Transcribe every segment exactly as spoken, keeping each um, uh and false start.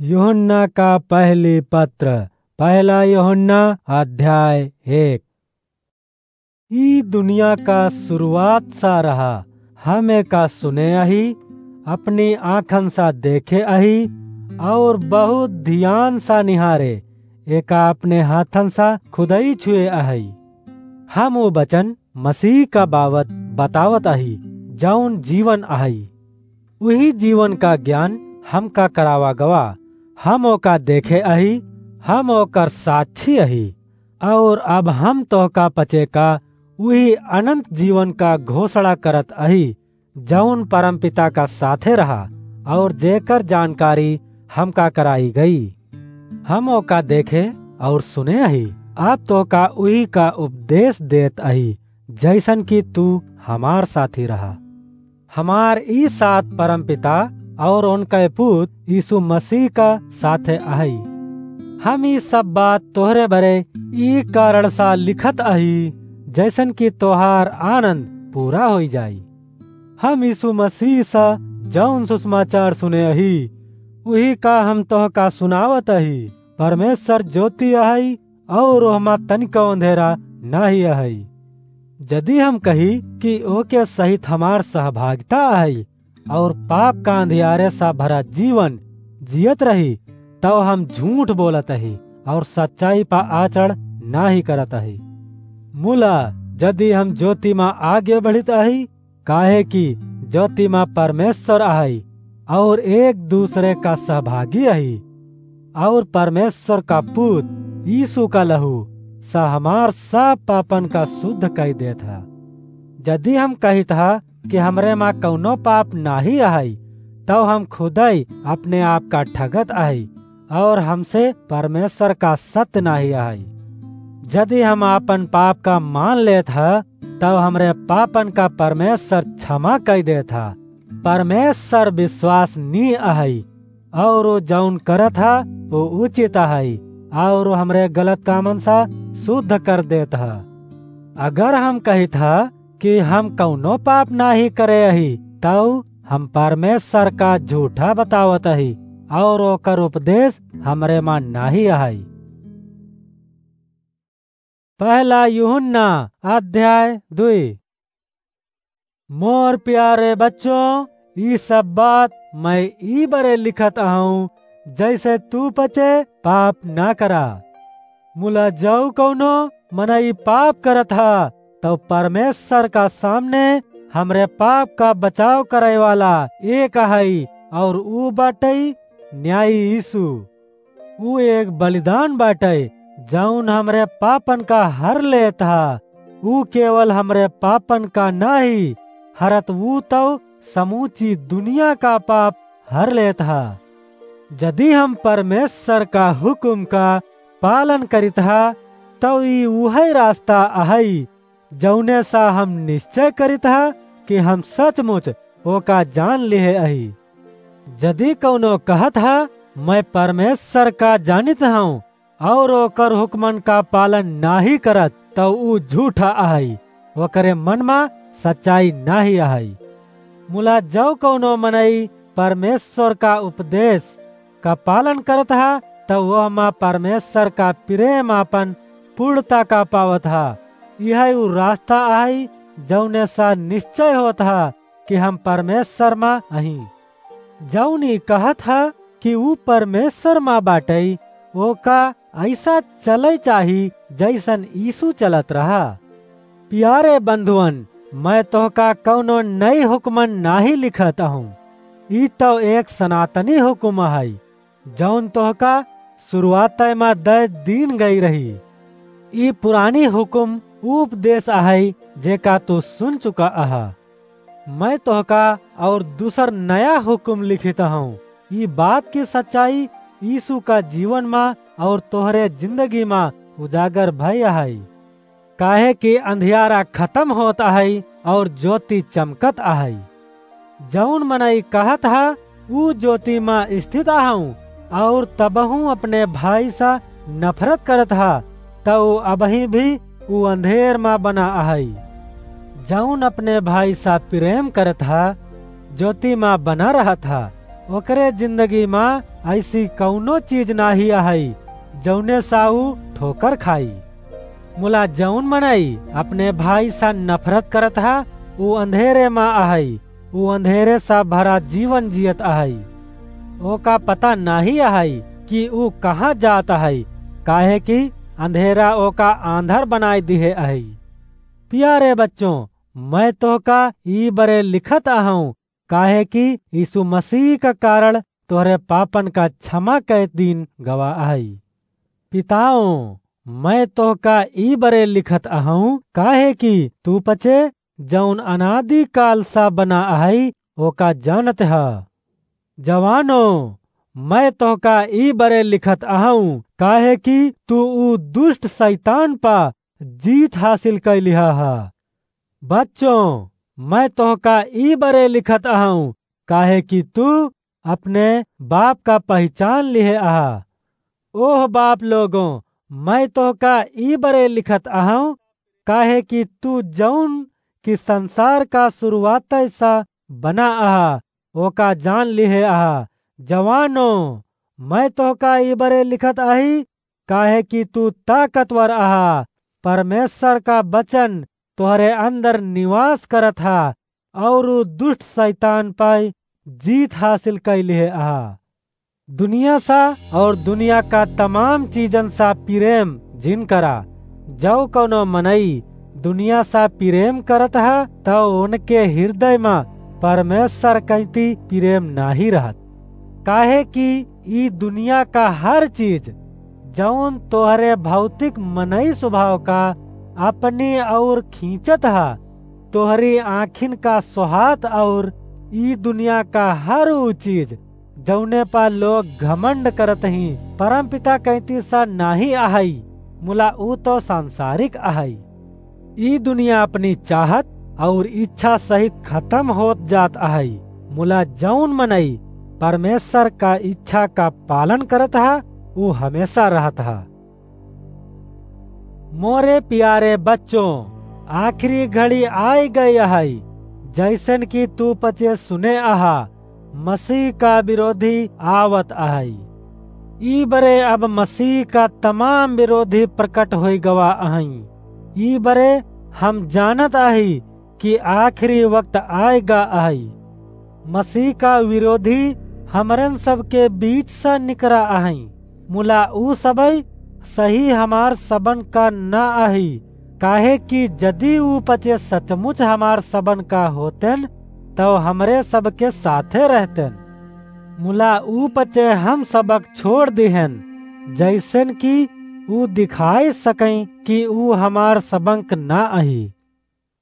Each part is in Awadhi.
यूहन्ना का पहली पत्र, पहला यूहन्ना अध्याय एक। ई दुनिया का शुरुआत सा रहा, हम एका सुने अही, अपनी आँखन सा देखे अही, और बहुत ध्यान सा निहारे, एका अपने हाथन सा खुदई छुए अही। हम वो वचन मसीह का बाबत बतावत अही, जौन जीवन अहई। उही जीवन का ज्ञान हमका करावा गवा। हम ओका देखे अही, हम ओकर साक्षी अही। और अब हम तोहका पचे का उही अनंत जीवन का घोषणा करत अही, जौन परमपिता का साथे रहा और जेकर जानकारी हमका कराई गई। हम ओका देखे और सुने अही, अब तोहका उही का उपदेश देत अही, जैसन कि तू हमार साथी रहा। हमार ई साथ परमपिता और उनके पूत यीशु मसीह का साथे अहई। हम ई सब बात तोहरे बरे ई कारण सा लिखत अही, जैसन कि तोहार आनंद पूरा होई जाई। हम यीशु मसीह सा जौन सुसमाचार सुने अही, उही का हम तोहका सुनावत अही। परमेश्वर ज्योति अहई, और ओहमा तनिको अंधेरा नाही अहई। जदि हम कही कि ओके सहित हमार सहभागिता अहई, और पाप का अंधियारे सा भरा जीवन जियत रही, तब हम झूठ बोलत अही और सच्चाई पा आचरण नाही करत अही। मुला, जदि हम ज्योति मा आगे बढ़ित अही, काहे कि ज्योति मा परमेश्वर अहई और एक दूसरे का सहभागी अही, और परमेश्वर का पूत यीशु का लहू सा हमार सब पापन का शुद्ध कई देत ह। जदि हम कहित ह कि हमरे मा कौनो पाप नाही अहई, तब हम खुदई अपने आप का ठगत अहई और हमसे परमेश्वर का सत्य नाही अहई। जदि हम आपन पाप का मान लेत ह, तब हमरे पापन का परमेश्वर क्षमा कई देत ह। परमेश्वर विश्वसनीय अहई, और वो जौन करत ह, वो उचित अहई, और वो हमरे गलत कामन सा शुद्ध कर देत ह। अगर हम कहित ह कि हम कौनो पाप नाही करे अही, तब हम परमेश्वर का झूठा बतावत अही, और ओकर उपदेश हमरे मा नाही अहई। पहला यूहन्ना अध्याय दुई। मोर प्यारे बच्चों, ई सब बात मैं ई बरे लिखत अहूँ, जैसे तू पचे पाप ना करा। मुला जौ कौनो मनई पाप करत ह, तौ परमेश्वर का सामने हमरे पाप का बचाव करे वाला एक अहई, और ऊ बाटई न्यायी यीशु। ऊ एक बलिदान बाटै, जौन हमरे पापन का हर लेत ह। ऊ केवल हमरे पापन का नाहीं हरत, ऊ तौ समूची दुनिया का पाप हर लेत ह। जदि हम परमेश्वर का हुकुम का पालन करित ह, तौ ई उहै रास्ता अहै, जौने सा हम निश्चय करित ह कि हम सचमुच ओका जान लिहे अही। जदि कौनो कहत ह, "मैं परमेश्वर का जानित हूँ," और ओकर हुक्मन का पालन नाहीं करत, तौ ऊ झूठा अहई, ओकरे मन मा सच्चाई नाहीं अहई। मुला जौ कौनो मनई परमेश्वर का उपदेश का पालन करत ह, तब वह मा परमेश्वर का प्रेम आपन पूर्णता का पावत ह। यह ऊ रास्ता अहई, जौने सा निश्चय होत ह कि हम परमेश्वर मा अही। जौन ई कहत ह कि ऊ परमेश्वर मा बाटै, ओका ऐसा चलै चाही, जैसन यीशु चलत रहा। प्यारे बंधुअन, मैं तोहका कौनो नई हुक्मन नाहीं लिखत हूँ। ई तौ एक सनातनी हुक्म अहै, जौन तोहका शुरुआतै मा दै दीन गई रही। ई पुरानी हुक्म उपदेश अहै, जेका तू सुन चुका अहा। मैं तोहका और दूसर नया हुक्म लिखित हूँ। ई बात की सच्चाई यीशु का जीवन मा और तोहरे जिंदगी मा उजागर भई अहै। काहे कि अंधियारा खतम होत अहै और ज्योति चमकत अहै। जौन मनई कहत ह, "ऊ ज्योति मा स्थित अहूँ," और तबहूँ अपने भाई सा नफरत करत ह, तौ अबहीं भी ऊ अंधेर मा बना अहै। जौन अपने भाई सा प्रेम करत ह, ज्योति मा बना रहत ह, ओकरे जिंदगी मा ऐसी कउनो चीज नाहीं अहइ, जउने सा ऊ ठोकर खाई। मुला जउन मनई अपने भाई सा नफरत करत ह, ऊ अंधेरे मा अहइ, ऊ अंधेरे सा भरा जीवन जियत अहइ। ओका पता नाहीं अहइ कि ऊ कहाँ जात अहइ, काहे कि अंधेरा ओका आंधर बनाइ दिहे अहइ। पियारे बच्चों, मैं तोहका ई बरे लिखत अहउँ, काहे कि यीशु मसीह का कारण तोहरे पापन का क्षमा कै दीन गवा अहइ। पिताओं, मैं तोहका ई बरे लिखत अहउँ, काहे कि तू पचे जउन अनादि काल सा बना अहइ, ओका जानत ह। जवानो, मैं तोहका ई बरे लिखत अहउँ, काहे कि तू ऊ दुष्ट सैतान पा जीत हासिल कै लिहा ह। बच्चों, मैं तोहका ई बरे लिखत अहउँ, काहे कि तू अपने बाप का पहिचान लिहे अहा। ओह बाप लोगों, मैं तोहका ई बरे लिखत अहउँ, काहे कि तू जउन कि संसार का सुरुआतै सा बना अहा, ओका जान लिहे अहा। जवानो, मैं तोहका ई बरे लिखत अही, काहे कि तू ताकतवर अहा। परमेश्वर का वचन तोहरे अंदर निवास करत ह, अउर ऊ दुष्ट सैतान पै जीत हासिल कै लिहे अहा। दुनिया सा अउर दुनिया का तमाम चीजन सा पिरेम जिन करा। जउ कउनो मनई दुनिया सा पिरेम करत ह, तउ उनके हिरदय मा परमेश्वर कैती पिरेम नाहीं रहत। काहे कि ई दुनिया का हर चीज, जउन तोहरे भौतिक मनई स्वभाव का अपनी अउर खींचत ह, तोहरी आँखिन का सोहात अउर ई दुनिया का हर ऊ चीज, जउने पा लोग घमंड करत ही, परमपिता कैती सा नाहीं अहइ, मुला ऊ तउ सांसारिक अहइ। ई दुनिया अपनी चाहत अउर इच्छा सहित खतम होत जात अहइ, मुला जउन मनई परमेश्वर का इच्छा का पालन करत ह, ऊ हमेशा रहत ह। मोरे पियारे बच्चों, आखिरी घड़ी आइ गइ अहइ, जइसन कि तू पचे सुने अहा, मसीह का विरोधी आवत अहइ। ई बरे अब मसीह का तमाम विरोधी प्रकट होइ गवा अहइ। ई बरे हम जानत अही कि आखिरी वक्त आइगा अहइ। मसीह का विरोधी हमरन सबके बीच सा निकरा अहइ, मुला ऊ सबइ सही हमार सबन का न अही, काहे कि जदि ऊ पचे सचमुच हमार सबन का होतेन, तउ हमरे सबके साथे रहतेन। मुला ऊ पचे हम सबक छोड़ दिहेन, जइसन कि ऊ दिखाइ सकइँ कि ऊ हमार सबंक न अही।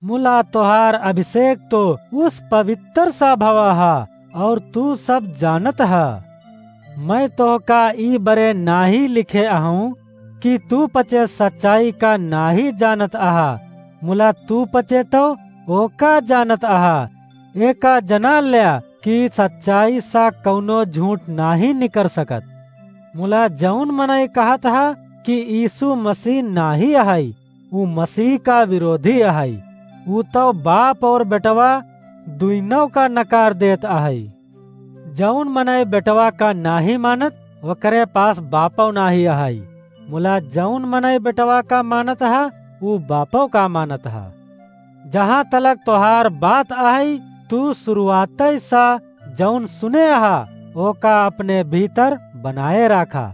मुला तोहार अभिषेक तो उस पवित्र सा भवा ह, अउर तू सब जानत ह। मैं तोहका ई बरे नाहीं लिखे अहउँ कि तू पचे सच्चाई का नाहीं जानत अहा, मुला तू पचे तउ ओका जानत अहा। एका जना ल्या कि सच्चाई सा कउनो झूठ नाहीं निकर सकत। मुला जउन मनई कहत ह कि यीशु मसीह नाहीं अहइ, ऊ मसीह का विरोधी अहइ। ऊ तउ बाप अउर बेटवा दुइनों का नकार देत अहइ। जउन मनई बेटवा का नाहीं मानत, ओकरे पास बापउ नाहीं अहइ। मुला जउन मनई बेटवा का मानत ह, ऊ बापउ का मानत ह। जहाँ तलक तोहार बात अहइ, तू सुरुआतइ सा जउन सुने अहा, ओका अपने भीतर बनाए राखा।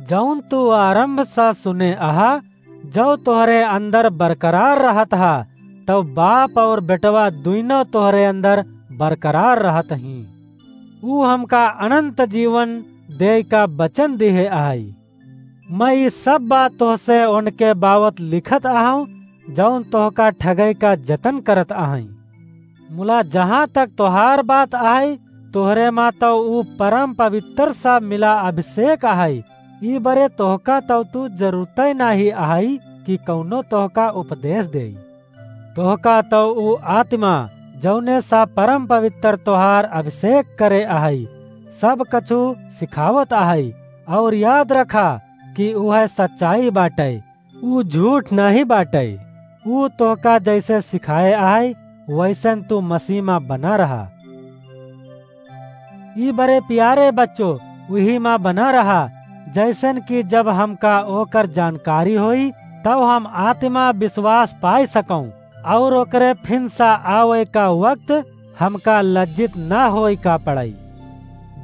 जउन तू आरंभ सा सुने अहा, जउ तोहरे अंदर बरकरार रहत ह, तउ बाप अउर बेटवा दुइनों तोहरे अंदर बरकरार रहत हीं। ऊ हमका अनंत जीवन देइ का वचन दिहे अहइ। मैं ई सब बात तोहसे ओनके बावत लिखत अहउँ, जउन तोहका ठगइ का जतन करत अहइँ। मुला जहाँ तक तोहार बात अहइ, तोहरे मा तउ ऊ परम पवित्र सा मिला अभिषेक अहइ। ई बरे तोहका तउ तू जरूरतइ नाहीं अहइ कि कउनो तोहका उपदेश देइ। तोहका तउ ऊ आत्मा, जउने सा परम पवित्र तोहार अभिषेक करे अहइ, सब कछु सिखावत अहइ। अउर याद रखा कि उहइ सच्चाई बाटइ, ऊ झूठ नाहीं बाटइ। ऊ तोहका जइसे सिखाए अहइ, वइसन तू मसीह मा बना रहा। ई बरे प्यारे बच्चो, उही मा बना रहा, जैसन कि जब हमका ओकर जानकारी होई, तब हम आत्मा विश्वास पाए सकौं, और ओकरे फिन सा आवे का वक्त हमका लज्जित ना होए का पड़ई।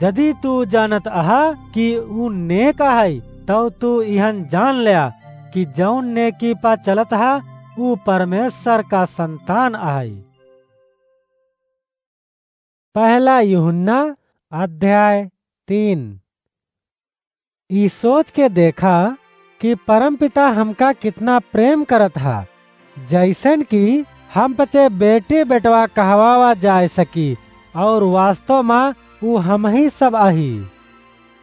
जदि तू जानत अहा कि ऊ नेक अहई, तब तू इहन जान ल्या कि जौन नेकी पा चलत हा, ऊ परमेश्वर का संतान अहई। पहला यूहन्ना अध्याय तीन। ई सोच के देखा कि परमपिता हमका कितना प्रेम करत हा, जैसन कि हम पचे बेटी बेटवा कहवावा जाए सकी, और वास्तव मा ऊ हमही सब अही।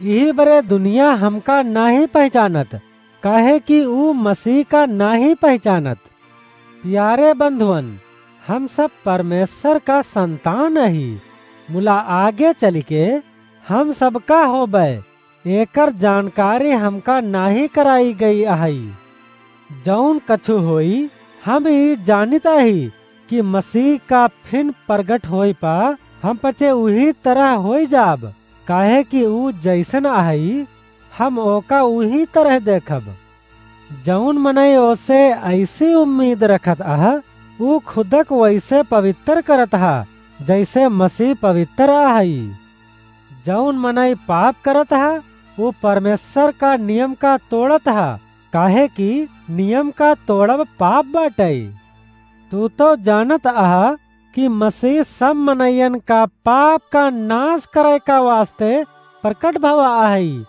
इही बरे दुनिया हमका नाही पहचानत, काहे कि ऊ मसीह का नाही पहचानत। प्यारे बंधुअन, हम सब परमेश्वर का संतान अही। मुला आगे चलिके हम सबका होबे, एकर जानकारी हमका नाही कराई गई अहई। जौन कछु होई, हम ई जानित अही कि मसीह का फिन प्रगट होई पा हम पचे उही तरह होई जाब, काहे कि ऊ जैसन अहई, हम ओका उही तरह देखब। जौन मनई ओसे ऐसी उम्मीद रखत अह, ऊ खुदक वैसे पवित्र करत हा, जैसे मसीह पवित्र अहई। जौन मनई पाप करत हा, ऊ परमेश्वर का नियम का तोड़त हा, काहे कि नियम का तोड़ब पाप बाटै। तू तो जानत अहा कि मसीह सब मनइयन का पाप का नाश करे का वास्ते प्रकट भवा अहई,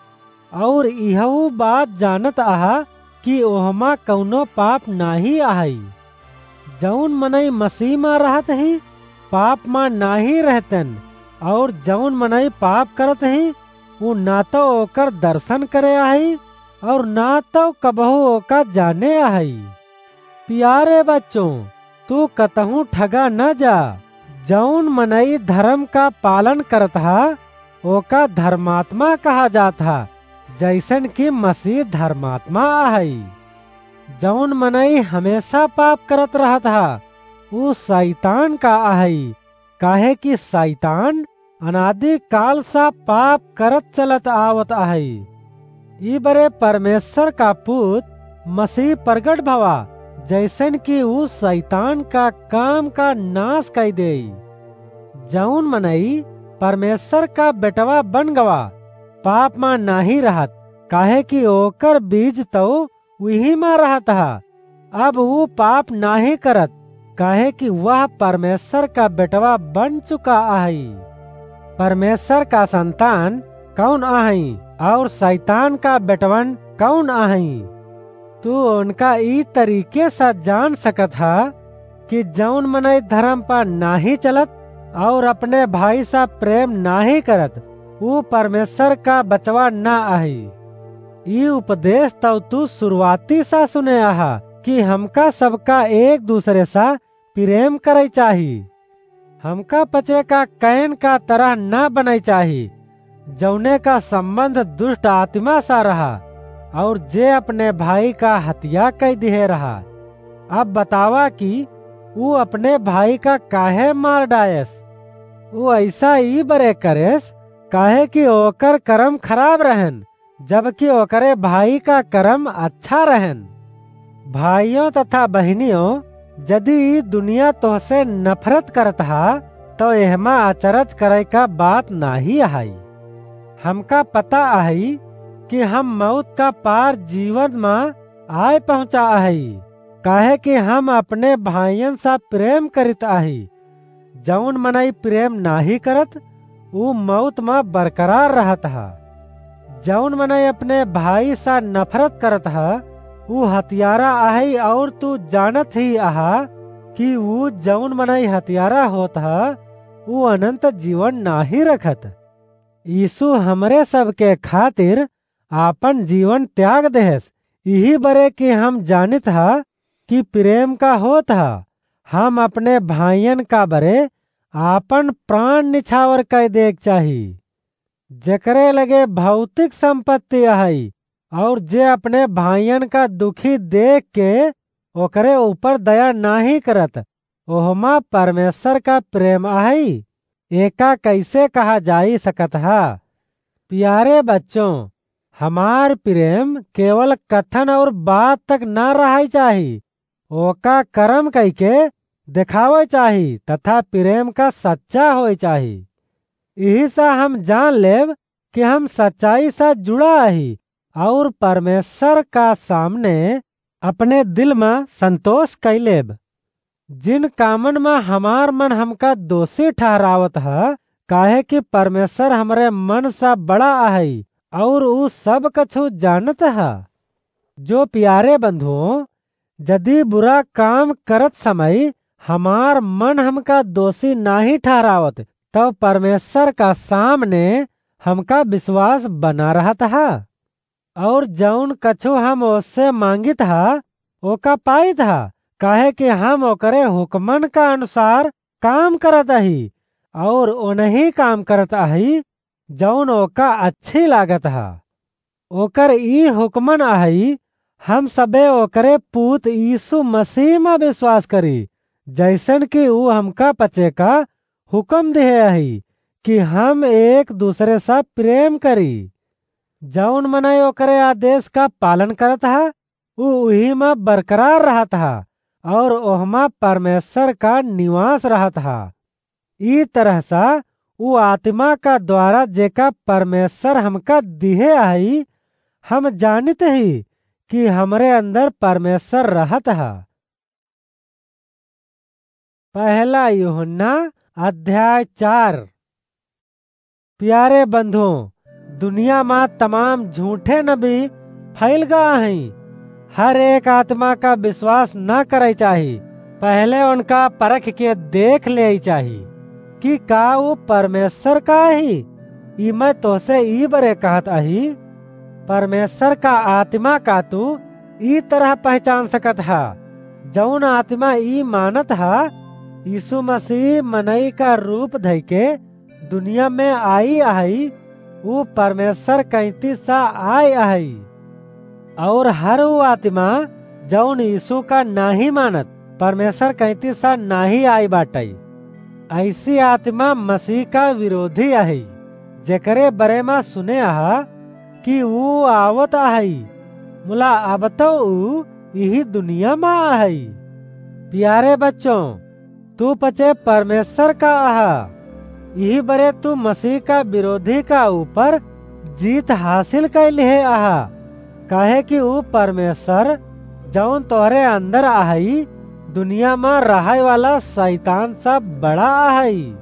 और इहऊ बात जानत अहा कि ओहमा कौनो पाप नाही अहई। जौन मनई मसीह मा रहत ही, पाप मा नाही रहतन, और जौन मनई पाप करत ही, ऊ ना तो ओकर दर्शन करे अहई, और ना तो कबहू ओका जाने अहई। प्यारे बच्चों, तू कतहूँ ठगा न जा। जौन मनई धर्म का पालन करत हा, ओका धर्मात्मा कहा जात हा, जैसन कि मसीह धर्मात्मा अहई। जौन मनई हमेशा पाप करत रहत हा, ऊ शैतान का अहई, काहे कि शैतान अनादि काल सा पाप करत चलत आवत अहई। ई बरे परमेश्वर का पूत मसीह प्रगट भवा, जैसन कि ऊ शैतान का काम का नाश कई देई। जौन मनई परमेश्वर का बेटवा बन गवा, पाप मा नाही रहत, काहे कि ओकर बीज तो उही मा रहत हा। अब ऊ पाप नाही करत, काहे कि वह परमेश्वर का बेटवा बन चुका अहई। परमेश्वर का संतान कौन अहई और शैतान का बेटवन कौन अहई? तू उनका ई तरीके से जान सकत हा कि जौन मनई धर्म पर नाही चलत और अपने भाई से प्रेम नाही करत, ऊ परमेश्वर का बचवा ना अहई। ई उपदेश तौ तू शुरुआती सा सुने आहा कि हमका सबका एक दूसरे सा प्रेम करई चाही। हमका पचे का कैन का तरह ना बनई चाही, जौने का संबंध दुष्ट आत्मा सा रहा और जे अपने भाई का हत्या कई दिहे रहा। अब बतावा कि ऊ अपने भाई का काहे मार डायस? ऊ ऐसा ई बरे करेस, काहे कि ओकर कर्म खराब रहन, जबकि ओकरे भाई का कर्म अच्छा रहन। भाइयों तथा बहिनियों, यदि ई दुनिया तोहसे नफरत करत हा, तो एहमा अचरज करे का बात नाही अहई। हमका पता अहई कि हम मौत का पार जीवन मा आए पहुँचा अहई, काहे कि हम अपने भाइयन सा प्रेम करित अही। जौन मनई प्रेम नाही करत, ऊ मौत मा बरकरार रहत हा। जौन मनई अपने भाई सा नफरत करत हा, ऊ हत्यारा अहई और तू जानत ही अहा कि ऊ जौन मनई हत्यारा होत हा, ऊ अनंत जीवन नाही रखत। यीशु हमरे सबके खातिर आपन जीवन त्याग देहस। इही बरे कि हम जानित हा कि प्रेम का होत हा। हम अपने भाइयन का बरे आपन प्राण निछावर कई देक चाही। जेकरे लगे भौतिक संपत्ति अहई और जे अपने भाइयन का दुखी देख के ओकरे ऊपर दया नाही करत, ओहमा परमेश्वर का प्रेम अहई। एका कैसे कहा जाई सकत ह? प्यारे बच्चों, हमार प्रेम केवल कथन और बात तक न रहइ चाही, ओका करम कइके देखावइ चाही तथा प्रेम का सच्चा होइ चाही। इही सा हम जान लेब कि हम सच्चाई सा जुड़ा अही और परमेश्वर का सामने अपने दिल म संतोष कइ लेब। जिन कामन म हमार मन हमका दोषी ठहरावत ह, काहे कि परमेश्वर हमरे मन सा बड़ा अहइ और ऊ सब कछु जानत ह। जो प्यारे बंधुओं, यदि बुरा काम करत समय हमार मन हमका दोषी नाहीं ठहरावत, तब परमेश्वर का सामने हमका विश्वास बना रहत ह। और जौन कछु हम ओसे मांगित ह, ओका पाइत ह, काहे कि हम ओकरे हुक्मन का अनुसार काम करत अही और ओनही काम करत अही, जौन ओका अच्छी लागत ह। ओकर ई हुक्मन अहइ, हम सबे ओकरे पूत यीशु मसीह म विश्वास करी, जैसन कि ऊ हमका पचे का हुक्म दिहे अही कि हम एक दूसरे सा प्रेम करी। जौन मनई ओकरे आदेश का पालन करत ह, ऊ उही म बरकरार रहत ह और ओहमा परमेश्वर का निवास रहत ह। ई तरह सा ऊ आत्मा का द्वारा जेका परमेश्वर हमका दिहे अही, हम जानित ही कि हमरे अंदर परमेश्वर रहत ह। पहला यूहन्ना अध्याय चार। प्यारे बंधुओं, दुनिया मा तमाम झूठे नबी फैल गा हईं। हर एक आत्मा का विश्वास न करइ चाही, पहले उनका परख के देख लेइ चाही कि का ऊ परमेश्वर का ही। ई मैं तोहसे ई बरे कहत अही, परमेश्वर का आत्मा का तू ई तरह पहचान सकत ह, जौन आत्मा ई मानत ह, यीशु मसीह मनई का रूप धइके दुनिया में आई अहई, ऊ परमेश्वर कइती सा आय अहई। और हर ऊ आत्मा जौन यीशु का नाही मानत, परमेश्वर कइती सा नाही आई बाटई। ऐसी आत्मा मसीह का विरोधी अहई, जेकरे बरे मा सुने अहा कि ऊ आवत अहई, मुला अब तो ऊ इही दुनिया मा अहई। प्यारे बच्चों, तू पचे परमेश्वर का अहा, इही बरे तू मसीह का विरोधी का ऊपर जीत हासिल कइ लिहे अहा, काहे कि ऊ परमेश्वर जौन तोहरे अंदर अहई, दुनिया मा रहइ वाला शैतान सा बड़ा अहई।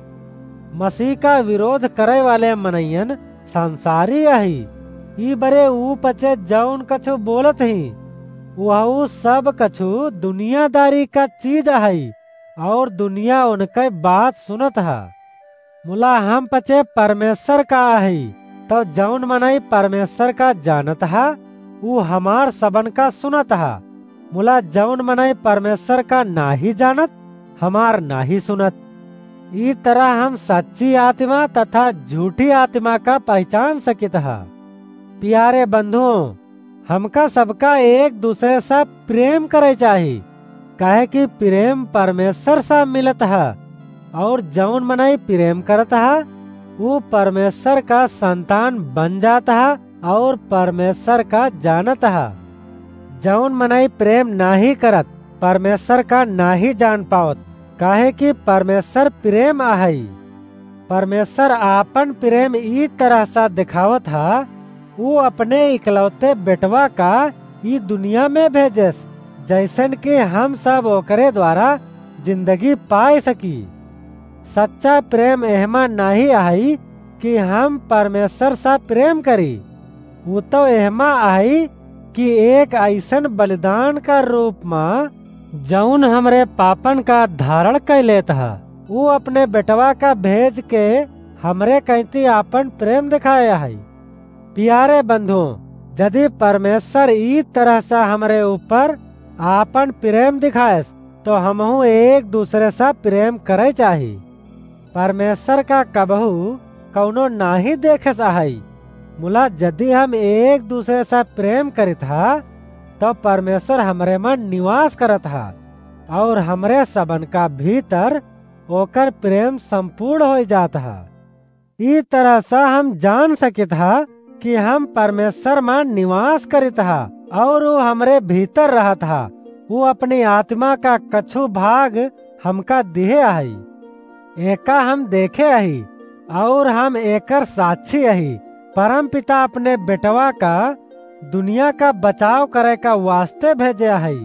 मसीह का विरोध करइ वाले मनइयन संसारी अही। ई बरे ऊ पचे जौन कछु बोलत ही, वहू सब कछु दुनियादारी का चीज अहई, और दुनिया उनके बात सुनत ह। मुला हम पचे परमेश्वर का अही, तौ जौन मनई परमेश्वर का जानत ह, ऊ हमार सबन का सुनत ह। मुला जौन मनई परमेश्वर का नाही जानत, हमार नाही सुनत। ई तरह हम सच्ची आत्मा तथा झूठी आत्मा का पहचान सकित ह। प्यारे बंधुओं, हमका सबका एक दूसरे सा प्रेम करइ चाही, काहे कि प्रेम परमेश्वर सा मिलत ह, और जौन मनई प्रेम करत ह, ऊ परमेश्वर का संतान बन जात ह और परमेश्वर का जानत ह। जौन मनई प्रेम नाही करत, परमेश्वर का नाही जान पावत, काहे कि परमेश्वर प्रेम अहई। परमेश्वर आपन प्रेम ई तरह सा देखावत ह, ऊ अपने इकलौते बेटवा का ई दुनिया में भेजेस, जैसन कि हम सब ओकरे द्वारा जिंदगी पाए सकी। सच्चा प्रेम एहमा नाही अहई कि हम परमेश्वर सा प्रेम करी, ऊ तो एहमा अहई कि एक अइसन बलिदान का रूप मा जौन हमरे पापन का धारण कइ लेत ह, ऊ अपने बेटवा का भेज के हमरे कइती आपन प्रेम देखाए अहई। प्यारे बंधुओं, यदि परमेश्वर ई तरह सा हमरे ऊपर आपन प्रेम दिखाएस, तो हमहू एक दूसरे सा प्रेम करइ चाही। परमेश्वर का कबहू कौनो नाही देखेस अहई, मुला यदि हम एक दूसरे सा प्रेम करित ह, तो परमेश्वर हमरे मा निवास करत ह, और हमरे सबन का भीतर ओकर प्रेम संपूर्ण होइ जात ह। ई तरह से हम जान सकित ह कि हम परमेश्वर मा निवास करित ह और ऊ हमरे भीतर रहत ह। ऊ अपनी आत्मा का कछु भाग हमका दिहे अहइ। एका हम देखे अही और हम एकर साक्षी अही। परमपिता अपने बेटवा का दुनिया का बचाव करे का वास्ते भेजे अहइ।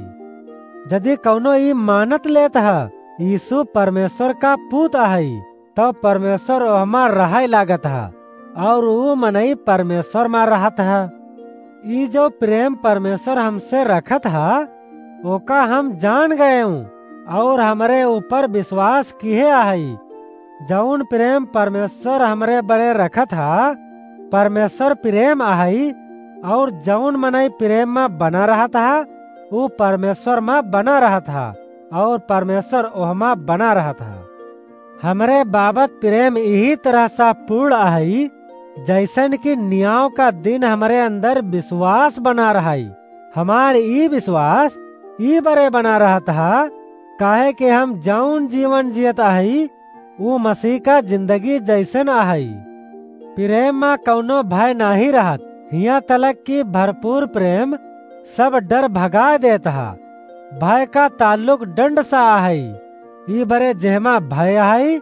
यदि कउनो ई मानत लेत ह, यीशु परमेश्वर का पूत अहइ, तउ परमेश्वर ओहमा रहइ लागत ह, और ऊ मनई परमेश्वर मा रहत ह। ई जो प्रेम परमेश्वर हमसे रखत ह, ओका हम जान गएउँ, और हमरे ऊपर विश्वास किहे अहइ। जउन प्रेम परमेश्वर हमरे बरे रखत ह, परमेश्वर प्रेम अहइ, और जउन मनई प्रेम मा बना रहत ह, ऊ परमेश्वर मा बना रहत ह, और परमेश्वर ओहमा बना रहत ह। हमरे बाबत प्रेम इही तरह सा पूर्ण अहइ, जइसन कि नियाव का दिन हमरे अंदर विश्वास बना रहइ। हमार ई विश्वास ई बरे बना रहत ह, काहे कि हम जउन जीवन जियत अहइ, ऊ मसीह का जिंदगी जइसन अहइ। प्रेम मा कउनो भय नाहीं रहत, हियाँ तलक कि भरपूर प्रेम सब डर भगाय देत ह। भय का ताल्लुक दंड सा अहइ। ई बरे जेहमा भय अहइ,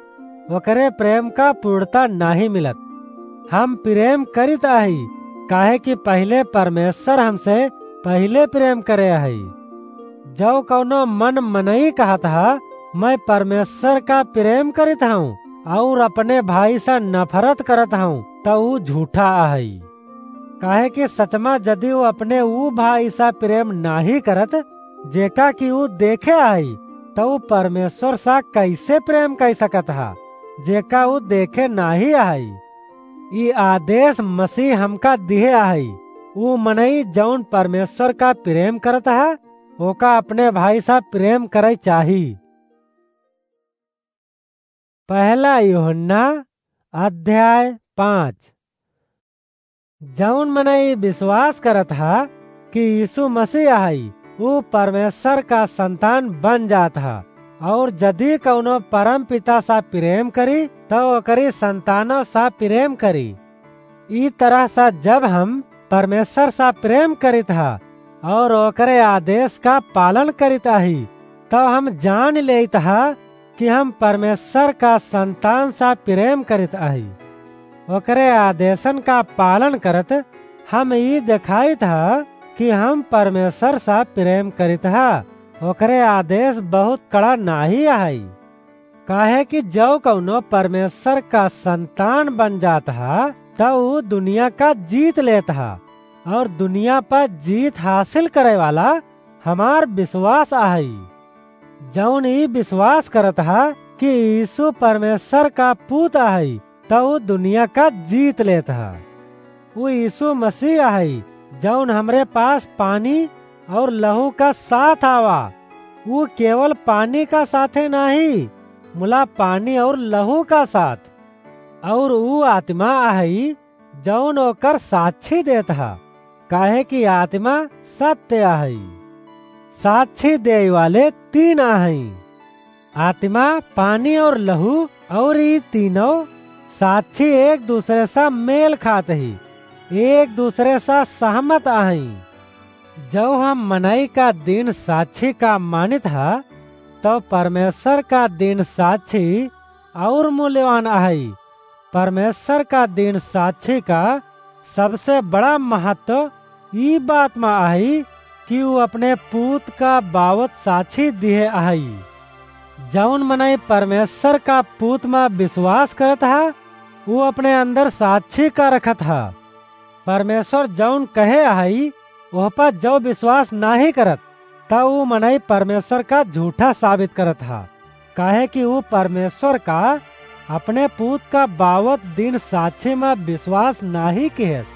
ओकरे प्रेम का पूर्णता नाहीं मिलत। हम प्रेम करित अही, काहे कि पहिले परमेश्वर हमसे पहिले प्रेम करे अही। जउ कउनो मन मनई कहत ह, "मैं परमेश्वर का प्रेम करित हउँ और अपने भाई से नफरत करत हउँ," त ऊ झूठा अहइ। काहे कि सचमा यदि ऊ अपने ऊ भाई सा प्रेम नाहीं करत, जेका कि ऊ देखे अहइ, त ऊ परमेश्वर सा कइसे प्रेम कइ सकत ह, जेका ऊ देखे नाहीं अहइ? ई आदेश मसीह हमका दिहे अहइ, ऊ मनई जउन परमेश्वर का प्रेम करत ह, ओका अपने भाई सा प्रेम करइ चाही। पहला यूहन्ना अध्याय पाँच। जउन मनई विश्वास करत ह कि यीशु मसीह अहइ, ऊ परमेश्वर का संतान बन जात ह, और यदि कउनो परम पिता सा प्रेम करी, त ओकरी संतानों सा प्रेम करी। ई तरह सा जब हम परमेश्वर सा प्रेम करित ह और ओकरे आदेश का पालन करित अही, तब हम जान लेइत ह कि हम परमेश्वर का संतान सा प्रेम करित अही। ओकरे आदेशन का पालन करत हम ई देखाइत ह कि हम परमेश्वर सा प्रेम करित ह। ओकरे आदेश बहुत कड़ा नाहीं अहइ। काहे कि जउ कउनो परमेश्वर का संतान बन जात ह, त ऊ दुनिया का जीत लेत ह, और दुनिया पर जीत हासिल करे वाला हमार विश्वास अहइ। जउन ई विश्वास करत ह कि यीशु परमेश्वर का पूत अहइ, त ऊ दुनिया का जीत लेत ह। ऊ यीशु मसीह अहइ, जउन हमरे पास पानी और लहू का साथ आवा। ऊ केवल पानी का साथे नाहीं, मुला पानी और लहू का साथ। और ऊ आत्मा अहइ, जउन ओकर साक्षी देत ह, काहे कि आत्मा सत्य अहइ। साक्षी देइ वाले तीन अहइ, आत्मा, पानी और लहू, और ई तीनों साक्षी एक दूसरे सा मेल खात ही, एक दूसरे सा सहमत अहइ। जउ हम मनई का दिन साक्षी का मानित ह, तउ परमेश्वर का दिन साक्षी और मूल्यवान अहइ। परमेश्वर का दिन साक्षी का सबसे बड़ा महत्व ई बात मा अहइ कि ऊ अपने पूत का बावत साक्षी दिहे अहइ। जउन मनई परमेश्वर का पूत मा विश्वास करत ह, ऊ अपने अंदर साक्षी का रखत ह। परमेश्वर जउन कहे अहइ, ओह पर जउ विश्वास नाहीं करत, त ऊ मनई परमेश्वर का झूठा साबित करत ह, काहे कि ऊ परमेश्वर का अपने पूत का बावत दिन साक्षी मा विश्वास नाहीं किहेस।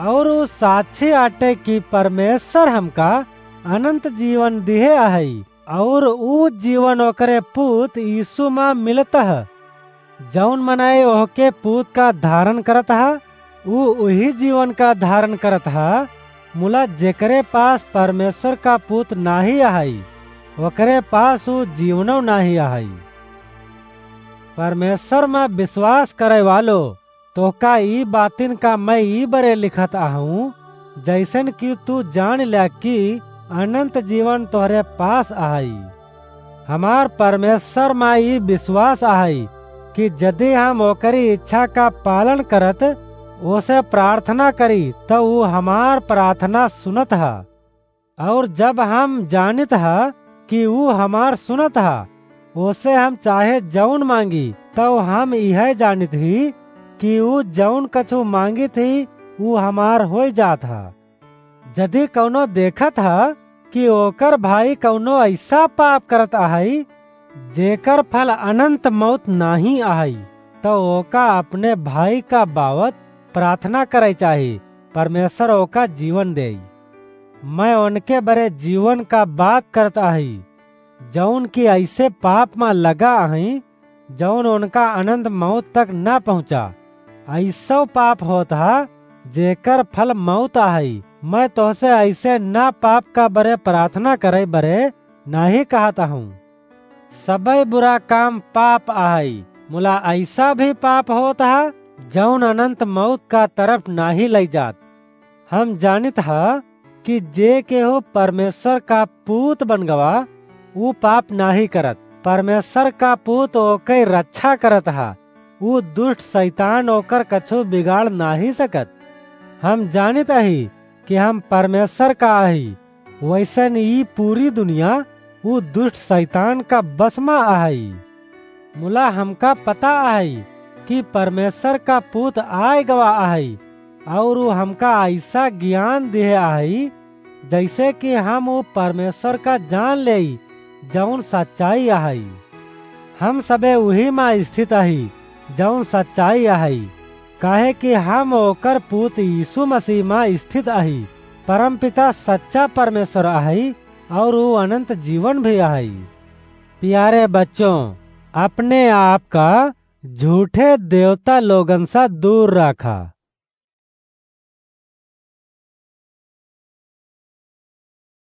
और ऊ साक्षी आटे कि परमेश्वर हमका अनंत जीवन दिहे अहइ, और ऊ जीवन ओकरे पूत यीशु मा मिलत ह। जउन मनई ओहके पूत का धारण करत ह, ऊ उही जीवन का धारण करत ह, मुला जेकरे पास परमेश्वर का पूत नाहीं अहइ, ओकरे पास ऊ जीवनो नाहीं अहइ। परमेश्वर मा विश्वास करे वालो, तोहका ई बातिन का मैं ई बरे लिखत आहूँ, जैसन कि तू जान ल्या कि अनंत जीवन तोहरे पास आहई। हमार परमेश्वर मा ई विश्वास आहई कि जदि हम ओकरी इच्छा का पालन करत ओसे प्रार्थना करी, त ऊ हमार प्रार्थना सुनत ह। और जब हम जानित ह कि ऊ हमार सुनत ह, ओसे हम चाहे जौन मांगी, तौ हम इहै जानित ही कि ऊ जौन कछु मांगित ही, ऊ हमार होइ जात ह। जदि कौनो देखत ह कि ओकर भाई कौनो ऐसा पाप करत आहई, जेकर फल अनंत मौत नाहीं आहई, तौ ओका अपने भाई का बावत प्रार्थना करै चाही, परमेश्वर ओका जीवन देई। मैं ओनके बरे जीवन का बात करत आही, जौन कि ऐसे पाप मा लगा अहई, जौन ओनका अनंत मौत तक न पहुँचा। ऐसो पाप होत हा, जेकर फल मौत आहई। मैं तोहसे ऐसे न पाप का बरे प्रार्थना करै बरे नाहीं कहत आहूँ। सबै बुरा काम पाप आहई, मुला ऐसा भी पाप होत हा, जौन अनंत मौत का तरफ नाहीं लई जात। हम जानित ह कि जे केहू परमेश्वर का पूत बन गवा, ऊ पाप नाहीं करत। परमेश्वर का पूत ओकै रक्षा करत ह, ऊ दुष्ट शैतान ओकर कछु बिगाड़ नाहीं सकत। हम जानित अही कि हम परमेश्वर का अही, वैसन ई पूरी दुनिया ऊ दुष्ट शैतान का बस मा अहई। मुला हमका पता अहई कि परमेश्वर का पूत आय गवा अहई, और ऊ हमका ऐसा ज्ञान दिहे अहई, जैसे कि हम ऊ परमेश्वर का जान लेई, जौन सच्चाई अहई। हम सबे उही मा स्थित अही, जौन सच्चाई अहई, काहे कि हम ओकर पूत यीशु मसीह मा स्थित अही। परमपिता सच्चा परमेश्वर अहई, और ऊ अनंत जीवन भी अहई। प्यारे बच्चों, अपने आप का झूठे देवता लोगन सा दूर राखा।